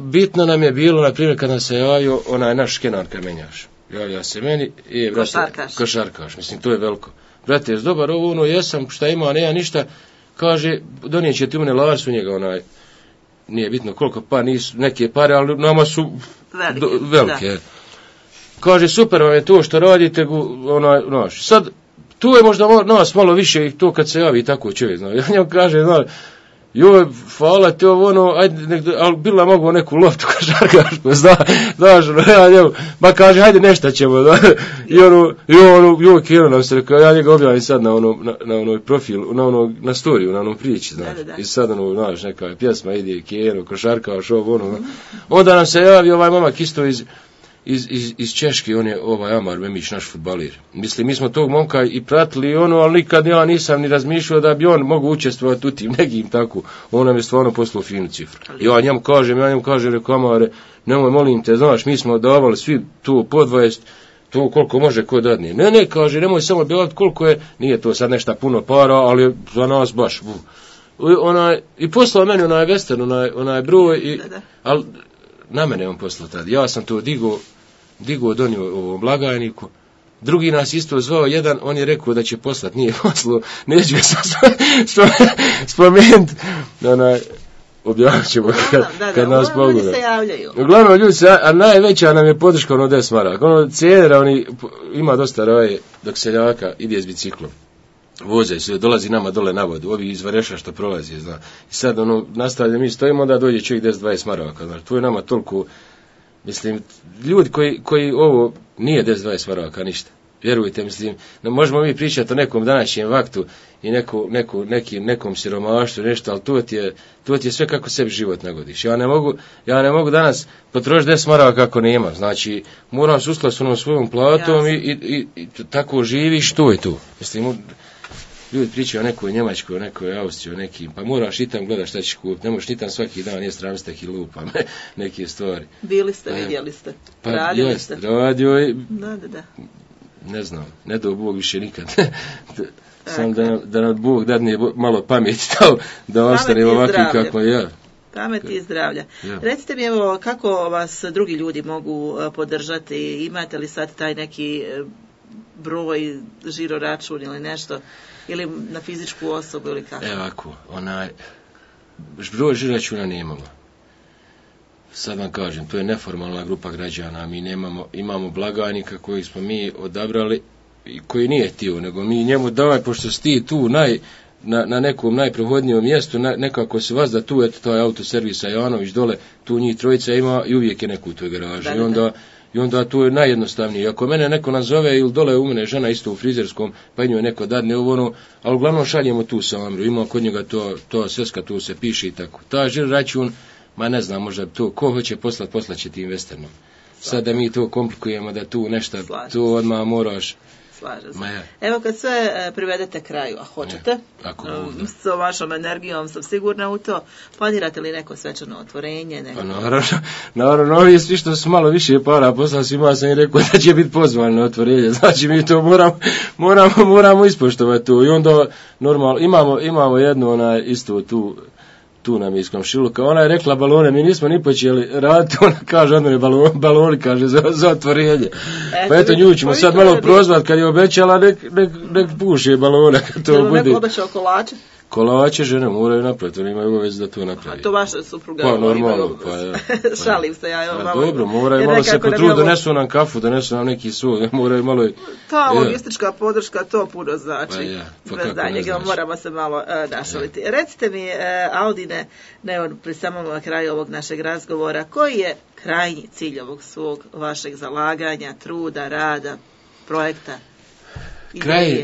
bitno nam je bilo, na primjer, kad nam se javio onaj naš Kenan Kamenjaš. Javlja se meni i košarkaš, mislim, to je veliko. Brate, dobar, ovo ono jesam, šta ima, nema ništa, kaže, donijet će ti une lasu njega, nije bitno koliko, pa nisu neke pare, ali nama su velike. Kaže, super vam je to što radite, sad, tu je možda nas malo više i to kad se javi tako čovjek, ja njemu kaže, joj, hvala te ajde, ali bila mogu neku loptu košarkašku, znaš, ja njemu, ba kaže, hajde nešto ćemo, joj, kjero nam se rekao, ja njega objavim sad na onoj profilu, na storiju, na onom priči, znaš, i sad znaš, neka pjesma ide, kjero, košarkaš, onda nam se javi ovaj momak isto iz Češke, on je Amar Memić, naš fudbalir. Mislim, mi smo tog momka i pratili ali nikad ja nisam ni razmišljao da bi on mogu učestvovati u tim nekim tako. On nam je stvarno poslao finu cifru. Ja njemu kažem, rekao, Amare, nemoj, molim te, znaš, mi smo davali svi tu po 20, to koliko može ko dadne. Ne, kaže, nemoj samo bilati koliko je, nije to sad nešto puno para, ali za nas baš. I poslao meni onaj western, onaj broj, ali na mene on poslao tad. Ja sam to digao, donio ovom blagajniku. Drugi nas isto zvao, jedan, on je rekao da će poslati, nije poslao, neću ga spomenuti. Objavit ćemo kad nas pogleda. Ljudi se javljaju. Uglavnom ljudi a najveća nam je podrška 10 maraka. Cijenera, ima dosta raje dok seljaka ide s biciklom. Voze se, dolazi nama dole na vodu, ovi iz Vareša što prolazi, zna. I sad nastavlja, mi stojimo, onda dođe čovjek 10-20 maraka, znači, to je nama toliko, mislim, ljudi koji ovo nije 10-20 maraka, ništa. Vjerujte, mislim, možemo mi pričati o nekom današnjem vaktu i nekom siromaštvu, nešto, ali to ti je sve kako sebi život nagodiš. Ja ne mogu danas potrošiti 10 maraka kako nema, znači, moram se uskladiti s onom svojom platom i tako živiš, to je to. Mislim, ljudi pričaju o nekoj Njemačkoj, o nekoj Austriji, o nekim, pa moraš i tam gledati šta ćeš kupiti, ne možeš ni tam svaki dan jesti ramstek i lupa, neke stvari. Bili ste, vidjeli ste, radili ste. Radio i... Da. Ne znam, ne do Bog više nikad. Sam da nam Bog dadne malo pameti da ostane ovakvi kako ja. Pameti i zdravlja. Ja. Recite mi, evo, kako vas drugi ljudi mogu podržati? Imate li sad taj neki broj, žiro račun ili nešto? Ili na fizičku osobu ili kako? Evo ako, broj žiro računa nemamo. Sad vam kažem, to je neformalna grupa građana, mi imamo blagajnika koji smo mi odabrali i koji nije htio, nego mi njemu davaj, pošto si ti tu na nekom najprohodnijom mjestu, nekako se vas da tu, eto, taj autoservis Janović dole, tu njih trojica ima i uvijek je neko u toj garaži. I onda tu je najjednostavnije. Ako mene neko nazove ili dole u mene žena isto u frizerskom, pa njoj neko dadne ovo, ali uglavnom šaljemo tu Samru, ima kod njega to sveska, tu se piše i tako. Ta žiro račun, ma ne znam, možda to, ko hoće poslaće ti investornom. Sad da mi to komplikujemo, da tu nešto, tu odmah moraš. Slažem se. Evo kad sve privedete kraju, a hoćete, s vašom energijom sam sigurna u to, planirate li neko svečano otvorenje? Pa naravno, ovi svi što su malo više para poslali svima sam i rekao da će biti pozvan na otvorenje, znači mi to moramo ispoštovati tu i onda normalno, imamo jednu isto tu nam je iz komšiluka, ona je rekla balone, mi nismo ni počeli raditi, ona kaže od mene baloni, kaže za otvorenje. Pa eto nju ćemo sad malo prozvat, kad je obećala, nek puše balone. Jel vam neko obećao kolače? Kolače žene moraju napraviti, oni imaju obavez da to napravi. A to vaša supruga? Pa normalno, Šalim se ja. Pa dobro, moraju malo se potruditi, donesu nam kafu, donesu nam neki sol, moraju malo... Ta logistička podrška, to puno znači. Bez daljega, moramo se malo našaliti. Recite mi, Audine, pri samom kraju ovog našeg razgovora, koji je krajnji cilj ovog svog vašeg zalaganja, truda, rada, projekta?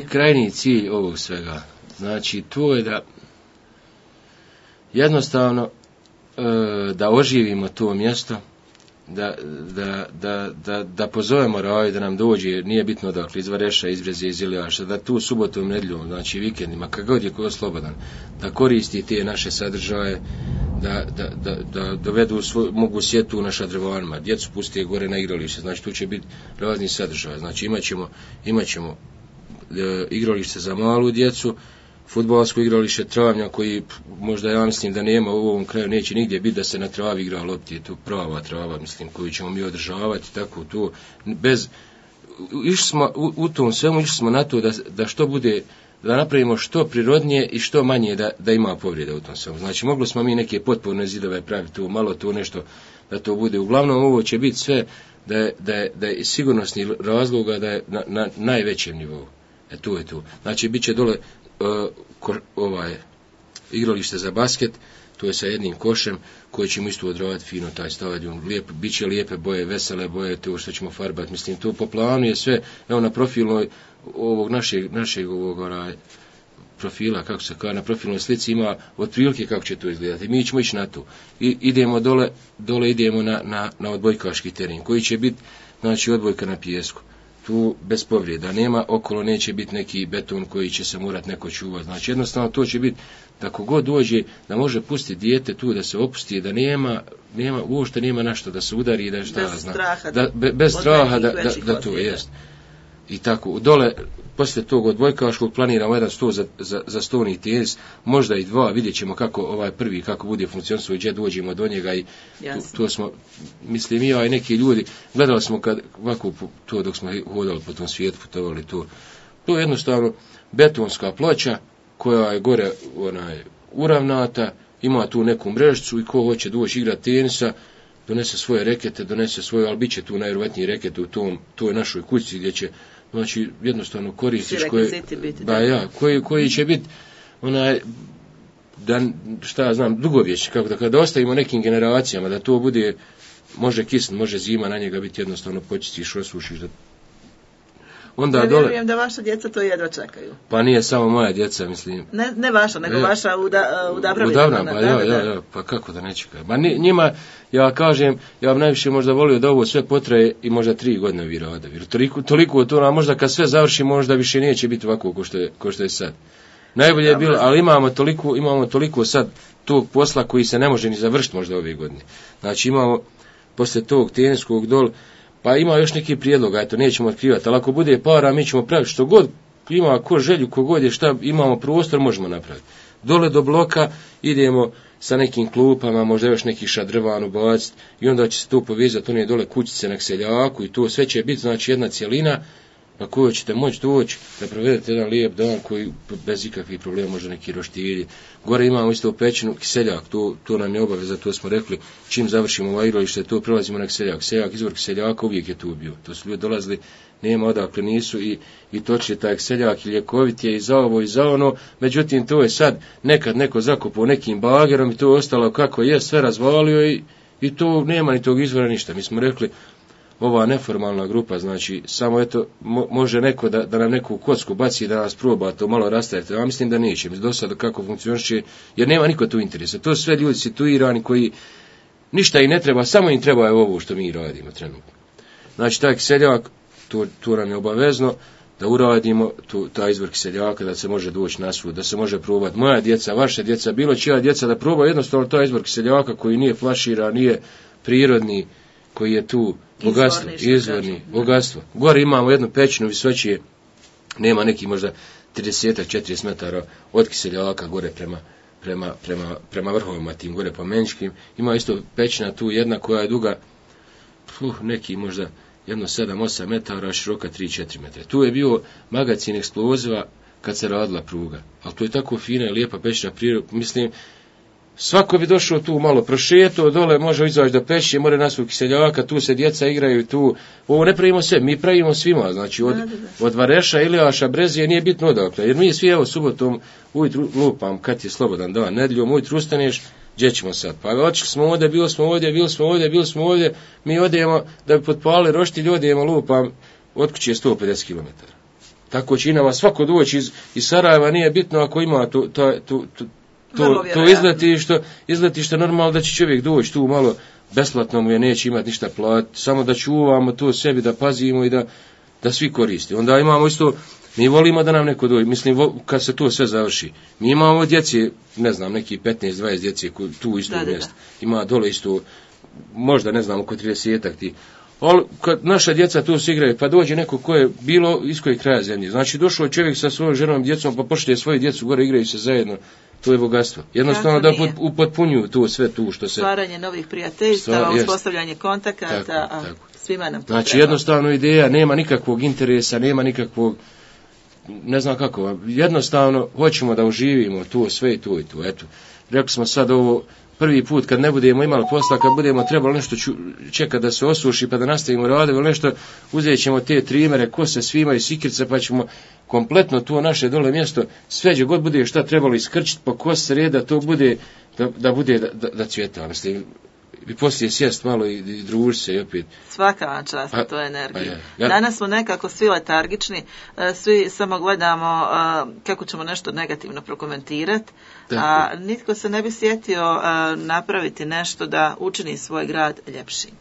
Krajnji cilj ovog svega. Znači, to je da jednostavno da oživimo to mjesto, da pozovemo Raju da nam dođe, nije bitno dakle iz Vareša, iz Breze, iz Iljaša, da tu subotom, nedjeljom, znači vikendima, kad god je ko slobodan, da koristi te naše sadržaje, da dovedu mogu sjeti tu na šadrovanima, djecu pusti gore na igralište, znači tu će biti razni sadržaj, znači imat ćemo igralište za malu djecu, fudbalsko igralište Travnja koji možda ja mislim da nema u ovom kraju, neće nigdje biti da se na travi igra lopti, je to prava trava, mislim, koju ćemo mi održavati, tako to, u tom svemu išli smo na to da što bude, da napravimo što prirodnije i što manje da ima povrede u tom svemu. Znači, mogli smo mi neke potporne zidove praviti tu, malo to nešto, da to bude. Uglavnom, ovo će biti sve da je sigurnosni razloga da je na najvećem nivou. To je to. Znači, bit će dole igralište za basket, to je sa jednim košem koji ćemo isto odravati fino taj stadion, bit će lijepe boje, vesele boje, to što ćemo farbati, mislim, to po planu je sve, evo na profilnoj ovog našeg profila, kako se kaže, na profilnoj slici ima otprilike kako će to izgledati, mi ćemo ići na to, i idemo dole idemo na odbojkaški teren, koji će biti, znači, odbojka na pijesku. Tu bez povreda nema, okolo neće biti neki beton koji će se morati neko čuvati. Znači jednostavno to će biti da kogod dođe da može pustiti dijete tu da se opusti, da uopšte nema našta da se udari i da bez straha da to jest. I tako, dole poslije tog odbojkaškog planiramo jedan sto za stolni tenis, možda i dva, vidjet ćemo kako ovaj prvi, kako bude funkcionisao i gdje dođemo do njega i to smo, mislim, ja i neki ljudi, gledali smo kad ovako to dok smo hodali po tom svijetu, putovali to je jednostavno betonska ploča koja je gore uravnata, ima tu neku mrežicu i ko hoće doći igrati tenisa, donese svoje rekete, ali bit će tu najvjerojatnije rekete u toj našoj kući gdje će, znači, jednostavno koristiš koji će biti dugovječni, kako da kada ostavimo nekim generacijama, da to bude, može kisn, može zima na njega biti jednostavno počistiš, osušiš. Ja vjerujem da vaša djeca to jedva čekaju. Pa nije samo moja djeca, mislim. Ne vaša, nego vaša u Dabravinu. Pa kako da ne čekaju. Ma njima, ja kažem, ja bi najviše možda volio da ovo sve potraje i možda 3 godine vi rade. Toliko to nam možda kad sve završi možda više neće biti ovako ko što je sad. Najbolje je bilo, ali imamo toliko sad tog posla koji se ne može ni završiti možda ove godine. Znači imamo posle tog teniskog dol, pa ima još neki prijedlog, eto, nećemo otkrivati, ali ako bude para, mi ćemo praviti ima ko želju, ko god je šta, imamo prostor, možemo napraviti. Dole do bloka idemo sa nekim klupama, možda još neki šadrvan ubaciti i onda će se tu povezati one dole kućice na seljaku i to sve će biti znači jedna cjelina na koju ćete moći doći da provedete jedan lijep dan koji bez ikakvih problema može neki roštilji. Gore imamo isto pećinu kiseljak, to nam je obaveza, to smo rekli, čim završimo ovo igralište, to prelazimo na kiseljak. Seljak, izvor kiseljaka uvijek je tu bio. To su ljudi dolazili, nema odakle nisu i točili taj kiseljak i ljekovit je i za ovo i za ono, međutim to je sad nekad neko zakopao nekim bagerom i to je ostalo kako je, sve razvalio i to nema ni tog izvora ništa. Mi smo rekli, ova neformalna grupa, znači, samo eto, može neko da nam neku kocku baci i da nas proba to malo rastaviti. Ja mislim da neće, do sada kako funkcioniše, jer nema niko tu interesa. To su sve ljudi situirani koji ništa i ne treba, samo im treba je ovo što mi radimo trenutno. Znači, taj kiseljak, to nam je obavezno da uradimo taj izvor kiseljaka, da se može doći na svud, da se može probati moja djeca, vaše djeca, bilo čija djeca, da proba jednostavno taj izvor kiseljaka koji nije flaširan, nije prirodni, koji je tu bogatstvo, izvorni, bogatstvo. Gore imamo jednu pećinu visočije, nema neki možda 30-40 metara od kiseljaka gore prema vrhovima tim gore pomeničkim. Ima isto pećina tu jedna koja je duga neki možda jedno 7-8 metara, široka 3-4 metra. Tu je bio magacin eksploziva kad se radila pruga. Ali to je tako fina i lijepa pećina priroda, mislim, svako bi došao tu malo prošetao, dole može izaći do pećine, more nasvu kiseljaka, tu se djeca igraju, tu, ovo ne pravimo sve, mi pravimo svima, znači od Vareša, Ilijaša, Brezije, nije bitno odakle, jer mi svi evo subotom ujutru lupam, kad je slobodan dan, nedjeljom ujutru ustaneš, gdje ćemo sad, pa otišli smo ovdje, bili smo ovdje, mi odijemo, da bi potpali roštilj, odijemo lupam, od kuće je 150 km. Tako će i nama svako doći iz Sarajeva, nije bitno ako ima to izletište normalno da će čovjek doći tu malo besplatno mu je, neće imati ništa platiti, samo da čuvamo to sebi, da pazimo i da svi koriste. Onda imamo isto, mi volimo da nam neko dođe, mislim kad se to sve završi. Mi imamo djece, ne znam, neki 15-20 djece tu isto mjesto. Ima dole isto, možda ne znam, oko 30-ak ti. Ali kad naša djeca tu se igraju, pa dođe neko ko je bilo iz kojeg kraja zemlje. Znači došao je čovjek sa svojom ženom djecom, pa pošalje svoju djecu gore, igraju se zajedno. To je bogatstvo. Jednostavno da upotpunjuju to sve tu što se... Stvaranje novih prijateljstava, uspostavljanje kontakata, svima nam to znači treba. Jednostavno ideja, nema nikakvog interesa, nema nikakvog, ne znam kako, jednostavno hoćemo da uživimo to sve i to. Eto, rekli smo sad ovo prvi put kad ne budemo imali posla, kad budemo trebali nešto čekati da se osuši pa da nastavimo raditi ili nešto, uzet ćemo te trimere, kose svima i sikirce pa ćemo kompletno to naše dole mjesto, sve gdje god bude šta trebalo iskrčiti po kos reda, to bude da bude da cvjeta, mislim, i poslije sjest malo i družiti se i opet. Svaka vam čast na toj energiji. Danas smo nekako svi letargični, svi samo gledamo kako ćemo nešto negativno prokomentirati, a nitko se ne bi sjetio napraviti nešto da učini svoj grad ljepšim.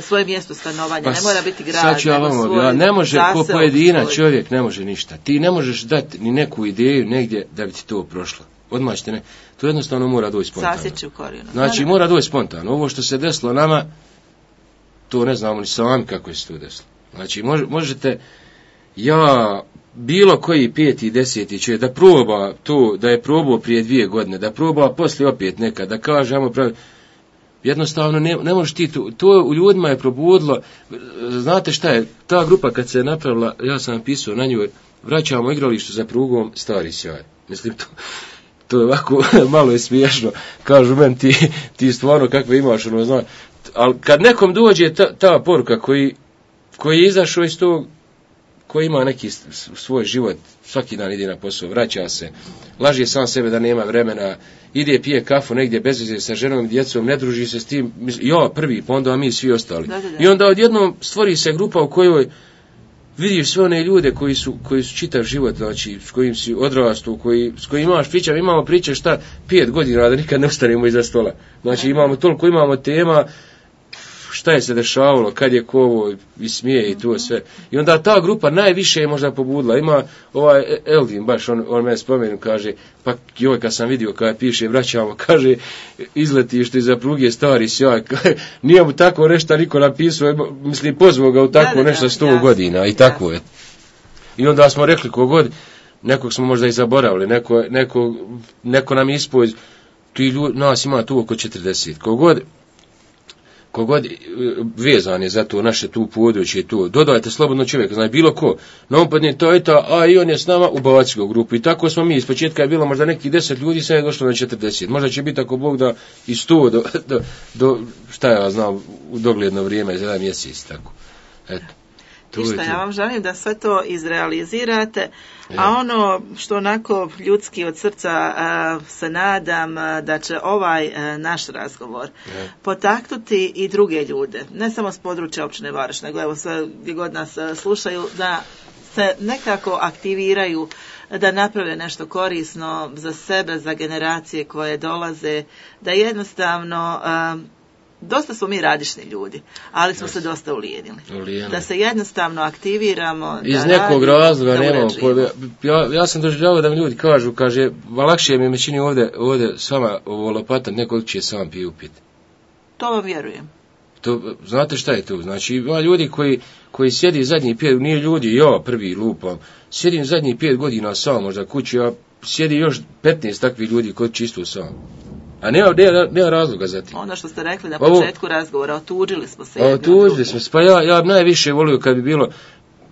Svoje mjesto stanovanja, ne mora biti grad, nego svoj ne može ko pojedina čovjek, ne može ništa. Ti ne možeš dati ni neku ideju negdje da bi ti to prošlo. Odmah ćete ne. To jednostavno mora doći spontano. Sasjeći u korijenu. Znači mora doći spontano. Ovo što se desilo nama, to ne znamo ni sami kako je se to desilo. Znači možete, bilo koji 5. 10. čovjek da proba to, da je probao prije 2 godine, da proba poslije opet nekad, da kaže, jednostavno ne možeš ti to u ljudima je probudilo. Znate šta je, ta grupa kad se je napravila, ja sam napisao na njoj, vraćamo igralištu za prugom stari sjaj. Mislim, to je ovako, malo je smiješno, kažu meni ti stvarno kakve imaš, ali kad nekom dođe ta poruka koji je izašao iz tog, koji ima neki svoj život, svaki dan ide na posao, vraća se, laže sam sebe da nema vremena, ide pije kafu negdje bez veze sa ženom i djecom, ne druži se s tim, prvi, pa onda mi svi ostali. Da. I onda odjednom stvori se grupa u kojoj vidiš sve one ljude koji su čitav život, znači s kojim si odrastao, s kojim imamo priče šta 5 godina da nikad ne ostanemo iza stola. Znači imamo tema, šta je se dešavalo, kad je kovo i smije i to sve. I onda ta grupa najviše je možda pobudila. Ima ovaj Eldin, baš on me spomenu, kaže, pa kad sam vidio kada piše, vraćamo, kaže, izletište iza pruge stari sjaj. Nije mu tako nešto niko napisao, mislim, pozvao ga u tako nešto 100 godina i tako je. I onda smo rekli kogod, nekog smo možda i zaboravili, neko nam ispoj, nas ima tu oko 40, kogod vezan je za to naše tu područje, tu dodajte slobodno čovjeka, znači bilo ko, na umpadne to i ta, a i on je s nama, ubaci ga u grupu. I tako smo mi, iz početka je bilo možda neki 10 ljudi, sad je došlo na 40, možda će biti ako Bog da i 100 do šta ja znam, u dogledno vrijeme, za jedan mjesec, tako. Eto. Ništa, ja vam želim da sve to izrealizirate, a ono što onako ljudski od srca se nadam da će ovaj naš razgovor potaknuti i druge ljude, ne samo s područja općine Vareš, nego evo sve gdje god nas slušaju, da se nekako aktiviraju, da naprave nešto korisno za sebe, za generacije koje dolaze, da jednostavno... Dosta smo mi radišni ljudi, ali smo se dosta ulijenili. Da se jednostavno aktiviramo. Iz nekog razloga nemamo. Ja sam doživljavao da mi ljudi kaže, lakše mi je čini ovdje s vama lopatat, neko će sam piju pit. To vam vjerujem. Znate šta je to? Znači, ima ljudi koji sjedi zadnjih 5, nije ljudi, ja prvi lupam, sjedim zadnjih 5 godina sam možda kući, a sjedi još 15 takvih ljudi koji čisto sam. A nema razloga za tim. Ono što ste rekli na početku razgovora, otuđili smo se. Otuđili smo se, pa ja najviše volio kad bi bilo,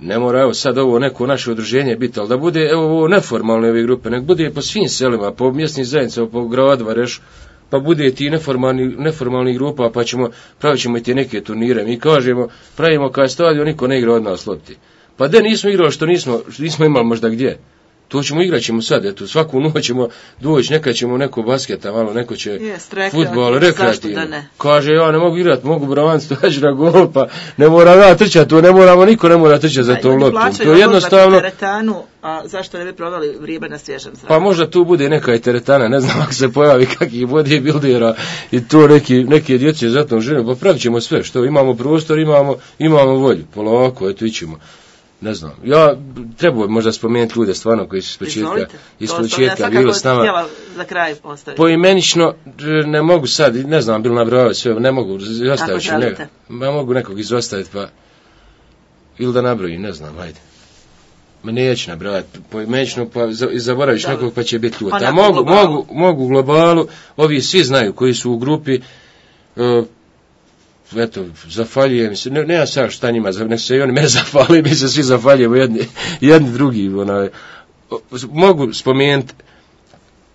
ne mora evo sad ovo neko naše udruženje biti, ali da bude evo ovo neformalne ove grupe, nek bude po svim selima, po mjesnim zajednicama, po gradu Vareš, pa bude ti neformalni grupa, pa pravit ćemo i te neke turnire. Mi kažemo, pravimo kaj stadion, niko ne igra od nas lopti. Pa da nismo igrali što nismo imali možda gdje. To igrat ćemo sad, eto, svaku noć ćemo doći, nekad ćemo neko basketa, malo neko će fudbal, rekreativno. Kaže, ja ne mogu igrati, mogu braniti, dođi na gol, pa ne moram ja trčati, niko ne mora trčati za to loptom. To je jednostavno... Teretanu, a zašto ne bi proveli vrijeme na svježem zraku? Pa možda tu bude neka i teretana, ne znam ako se pojavi kakih bodybuildera i to neke djece za tom žene, pa pravit ćemo sve, što imamo prostor, imamo volju, polako, eto ićemo. Ne znam, ja treba možda spomenuti ljude stvarno koji su iz početka bili s nama. Za kraj postaviti. Poimenično ne mogu sad, ne znam, bilo nabrojao sve, ne mogu izostaviti. Ja mogu nekog izostaviti, pa ili da nabrojim, ne znam, ajde. Ma neću nabrojati poimenično, pa zaboraviš nekog pa će biti ljut. A mogu u globalu, ovi svi znaju koji su u grupi, eto, zafaljujem se, nema sad šta njima, nek se i oni me zafali, mi se svi zafaljujemo jedni drugi, mogu spomenuti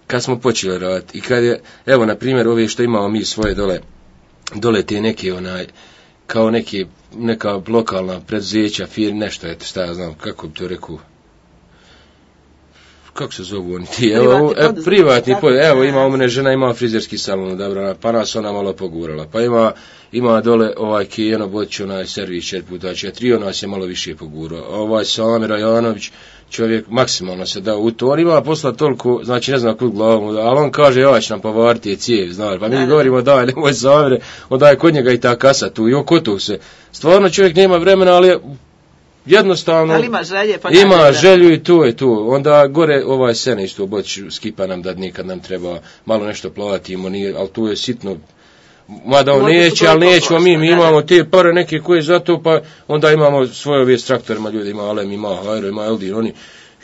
kad smo počeli raditi i kad je, evo, na primjer, ove što imamo mi svoje dole te neke, kao neka lokalna preduzeća, firme, nešto, eto, šta ja znam, kako bi to rekao, kako se zovu oni ti, privatni, evo, ima u mene žena, ima frizerski salon, dobro, pa nas ona malo pogurala, pa ima dole Kijeno Botić, servis 4x4, nas je malo više pogurao, Samir Janović, čovjek maksimalno se dao u to, on ima posla toliko, znači ne znam kud glavom, ali on kaže, ja će nam povariti cijev, znaš, pa mi govorimo, daj, nemoj Samire, onda je kod njega i ta kasa tu, i oko tog se, stvarno čovjek nema vremena, ali jednostavno ima želju i to je to. Onda gore sene isto Botić skipa nam da nikad nam treba malo nešto platimo, ali tu je sitno. Mada on neće, ali nećemo mi imamo te pare neke koje za to, pa onda imamo svoje ove s traktorima, ljudi ima Alem, ima Hajro, ima Eldin,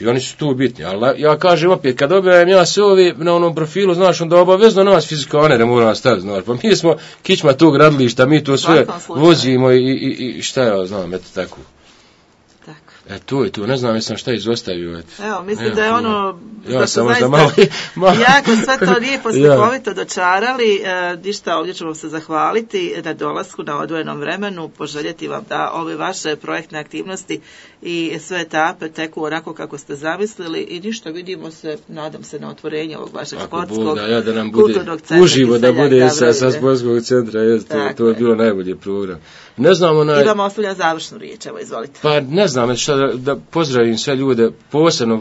oni su tu bitni. Ali ja kažem opet, kad objavim ja se ovi na onom profilu, znaš, onda obavezno nas fizikanere moramo staviti, znaš, pa mi smo kičma tog gradilišta, mi to sve vozimo i šta ja znam, eto tako. To je to, ne znam jesam šta izostavio. Evo, mislim da je ono, da su zaista jako sve to lijepo slikovito dočarali, ništa, ovdje ćemo se zahvaliti na dolasku, na odvojenom vremenu, poželjeti vam da ove vaše projektne aktivnosti i sve etape teku onako kako ste zamislili i ništa, vidimo se, nadam se, na otvorenje ovog vašeg sportskog kulturnog centra. Uživo da bude sa sportskog centra, to je bilo najbolji program. Ne znam, I vam ostavljam završnu riječ, evo, izvolite. Pa ne znam, da pozdravim sve ljude, posebno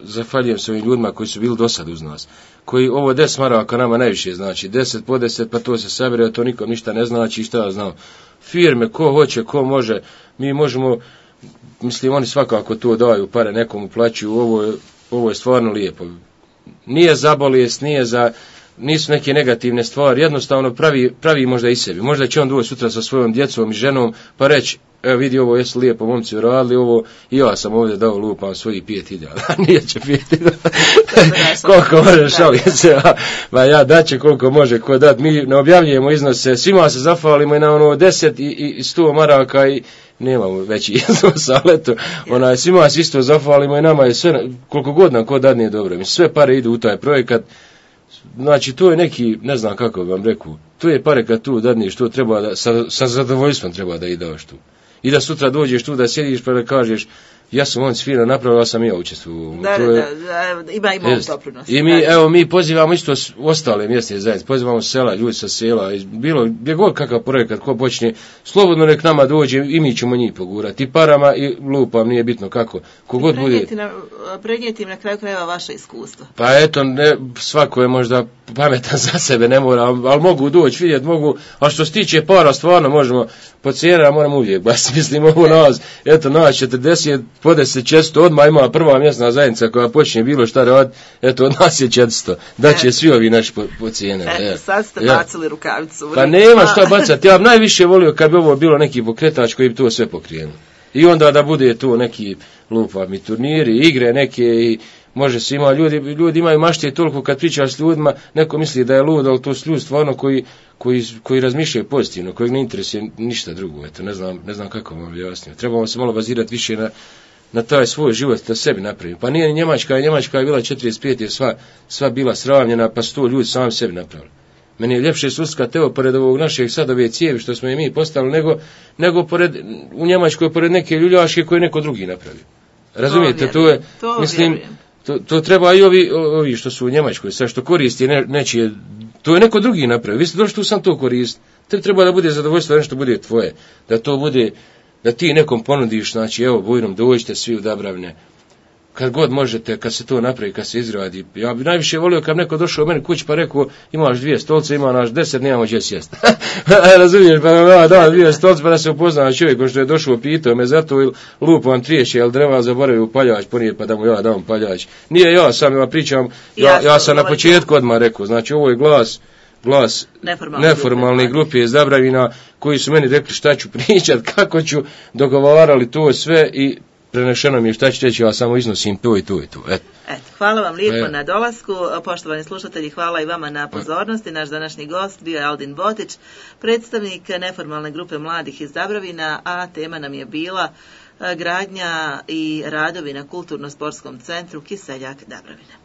zahvaljujem se ovim ljudima koji su bili do sad uz nas, koji ovo 10 maraka nama najviše znači, 10 po 10, pa to se sabere, to nikom ništa ne znači, šta ja znam, firme, ko hoće, ko može, mi možemo, mislim, oni svakako to daju, pare nekom uplaćuju, ovo je stvarno lijepo, nije za bolest, nije nisu neke negativne stvari, jednostavno pravi možda i sebi. Možda će on doći sutra sa svojom djecom i ženom, pa reći, evo vidi ovo, jesu lijepo momci uradili ovo, i ja sam ovdje dao lupam svojih 5.000, nije će 5.000, koliko može, šalim se, ba ja daće koliko može, ko dat, mi ne objavljujemo iznose, svima se zahvalimo i na ono 10 i 100 maraka i nemamo veći iznos, ali eto, svima se isto zahvalimo i nama je sve, koliko god nam ko dadne dobro, mi sve pare idu u taj projekat. Znači, to je neki, ne znam kako vam rekao, to je pare kad tu dadneš, to treba da, sa zadovoljstvom treba da i daš tu. I da sutra dođeš tu da sjediš pa da kažeš, ja sam on sfina napravio, ja sam i ja učestvovao. Ima doprinos. I mi pozivamo isto ostale mjesne zajednice, pozivamo sela, ljudi sa sela, bilo, gdje god kakav projekat, ko počne, slobodno nek nama dođe i mi ćemo njih pogurati. I parama i lupam, nije bitno kako. Kogod bude. Prenijeti im na kraju krajeva vaše iskustva. Pa eto, svako je možda pametan za sebe, ne mora, ali mogu doći, vidjeti, mogu, a što se tiče para, stvarno možemo, po cijena moramo uvijek, baš mislim ovo nas, eto nas 40, pode se 400, odmah ima prva mjesna zajednica koja počne bilo šta raditi, eto od nas je 400, da će svi ovi naši po cijene. Eto, sad ste bacili rukavicu. Pa nema šta bacati, ja bi najviše volio kad bi ovo bilo neki pokretač koji bi to sve pokrenuo. I onda da bude tu neki lupami turniri, igre neke i može se ima, ljudi imaju mašte toliko kad pričaš s ljudima, neko misli da je lud, ali to su ljudi stvarno koji razmišljaju pozitivno, kojeg ne interesuje ništa drugo, eto, ne znam kako vam objasnio. Trebamo se malo bazirati više na taj svoj život da sebi napravimo. Pa nije ni Njemačka je bila 45, je sva bila sravnjena, pa su to ljudi sami sebi napravili. Meni je ljepše suskat, evo, pored ovog našeg sad ove cijevi što smo i mi postavili, nego u Njemačkoj pored neke ljuljaške koje neko drugi napravio. Razumijete, to treba i ovi što su u Njemačkoj, sve što koristi nečije, to je neko drugi napravio. Vi ste došli tu sam to koristiti. Treba da bude zadovoljstvo da nešto bude tvoje, da to bude, da ti nekom ponudiš, znači evo Bujrom, dođite svi u Dabravne. Kad god možete, kad se to napravi, kad se izradi. Ja bi najviše volio kad neko došao u meni kući pa rekao, imaš 2 stolce, ima naš 10, nemamo gdje sjesti. Razumiješ, pa da 2 stolce pa da se upozna čovjek što je došao, pitao me zato ili lupam triješe, jel drva zaboravio paljač, ponije pa da mu ja dam paljač. Nije ja sam ja pričam, ja sam na početku odmah rekao, znači ovo je glas neformalne grupe iz Dabravina koji su meni rekli šta ću pričat, kako ću, dogovarali to sve i prenešeno mi je šta ću reći, ja samo iznosim to i to i to. Eto, hvala vam lijepo na dolasku, poštovani slušatelji, hvala i vama na pozornosti. Naš današnji gost bio je Aldin Botić, predstavnik neformalne grupe mladih iz Dabravina, a tema nam je bila gradnja i radovi na kulturno-sportskom centru Kiseljak Dabravina.